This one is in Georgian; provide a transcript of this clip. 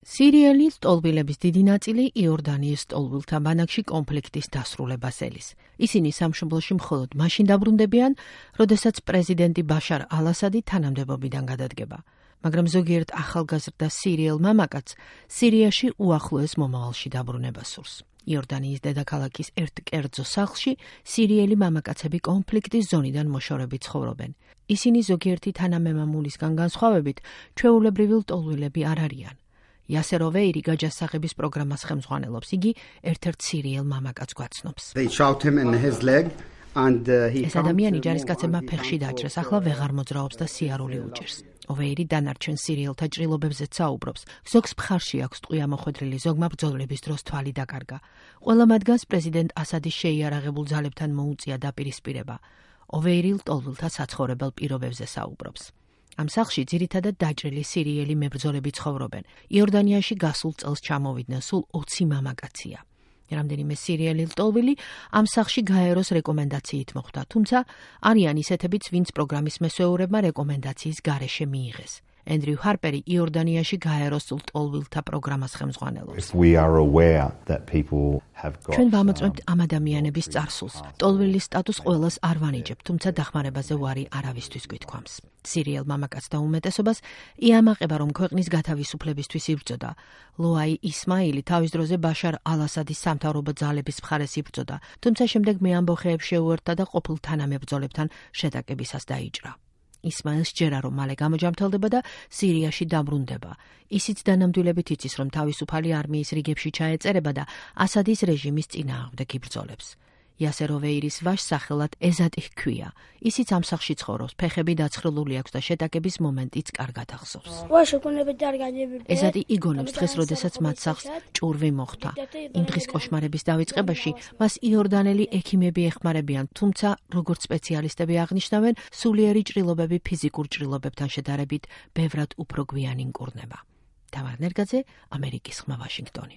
სირიელი სტოლბილების დიდი ნაწილი იორდანიის სტოლბილთა ბანაკში კონფლიქტის დასრულებას ელის. ისინი სამშობლოში მხოლოდ მაშინ დაბრუნდებიან, როდესაც პრეზიდენტი ბაშარ ალ-ასადი თანამდებობიდან გადადგება. მაგრამ ზოგიერთ ახალგაზრდა სირიელ მამაკაცს სირიაში უახლოეს მომავალში დაბრუნება სურს. იორდანიის დედაქალაქის ერთ კერძო სახლში სირიელი მამაკაცები კონფლიქტის ზონიდან მოშორებით ცხოვრობენ. ისინი ზოგიერთი თანამემამულისგან განსხვავებით ჩვეულებრივი ლტოლვილები არ არიან. იასერ ოვეირი გაჯასახების პროგრამას ხელმძღვანელობს. იგი ერთ-ერთ სირიელ მამაკაცს გვაცნობს. ეს ადამიანი ჯარისკაცებმა ფეხში დაჭრეს, ახლა ვეღარ მოძრაობს და სიარული უჭერს. ოვეირი დანარჩენ სირიელთა ჭრილობებზეც საუბრობს. ზოგს მხარში აქვს ტყვია მოხვედრილი, ზოგმა ბრძოლების დროს თვალი დაკარგა. ყველა მათგანს პრეზიდენტ ასადის შეიარაღებულ ძალებთან მოუწია დაპირისპირება. ოვეირი ლტოლვილთა საცხოვრებელ პირობებზე საუბრობს. ამ სახლში ძირითადად დაჭრილი სირიელი მებრძოლები ცხოვრობენ. იორდანიაში გასულ წელს ჩამოვიდნენ სულ 20 მამაკაცია. რამდენიმე სირიელი ლტოლვილი ამ სახლში გაეროს რეკომენდაციით მოხვდა, თუმცა არიან ისეთებიც, ვინც პროგრამის მესვეურებმა რეკომენდაციის გარეშე მიიღეს. ენდრიუ ჰარპერი იორდანიაში გაეროს ლტოლვილთა პროგრამას ხელმძღვანელობს. ჩვენ ვამოწმებთ ამ ადამიანების წარსულს. ლტოლვილის სტატუს ყველას არ ვანიჭებთ, თუმცა დახმარებაზე ვარი არავისთვის გვითქვამს. სირიელ მამაკაცთა უმეტესობას იამაყება, რომ ქვეყნის გათავისუფლებისთვის იბრძოდა. ლოაი ისმაილი თავის დროზე ბაშარ ალ-ასადის სამთავრობო ძალების მხარეს იბრძოდა, თუმცა შემდეგ მეამბოხეებს შეუერთდა და ყოფილ თანამებრძოლებთან შეტაკებისას დაიჭრა. ისმაილს ჯერა, რომ მალე გამოჯამთელდება და სირიაში დაბრუნდება. ისიც დანამდვილებით იცის, რომ თავისუფალი არმიის რიგებში ჩაეწერება და ასადის რეჟიმის წინააღმდეგ იბრძოლებს. იასერ ოვეირის ვაჟს სახელად ეზატი ჰქვია. ისიც ამ სახლში ცხოვრობს, ფეხები დაცხრილული აქვს და შეტაკების მომენტიც კარგად ახსოვს. ეზატი იგონებს დღეს, როდესაც მათ სახლს ჭურვი მოხვდა. იმ დღის კოშმარების დავიწყებაში მას იორდანელი ექიმები ეხმარებიან, თუმცა როგორც სპეციალისტები აღნიშნავენ, სულიერი ჭრილობები ფიზიკურ ჭრილობებთან შედარებით ბევრად უფრო გვიანი მკურნება. თამარ ნერგაძე, ამერიკის ხმა, ვაშინგტონი.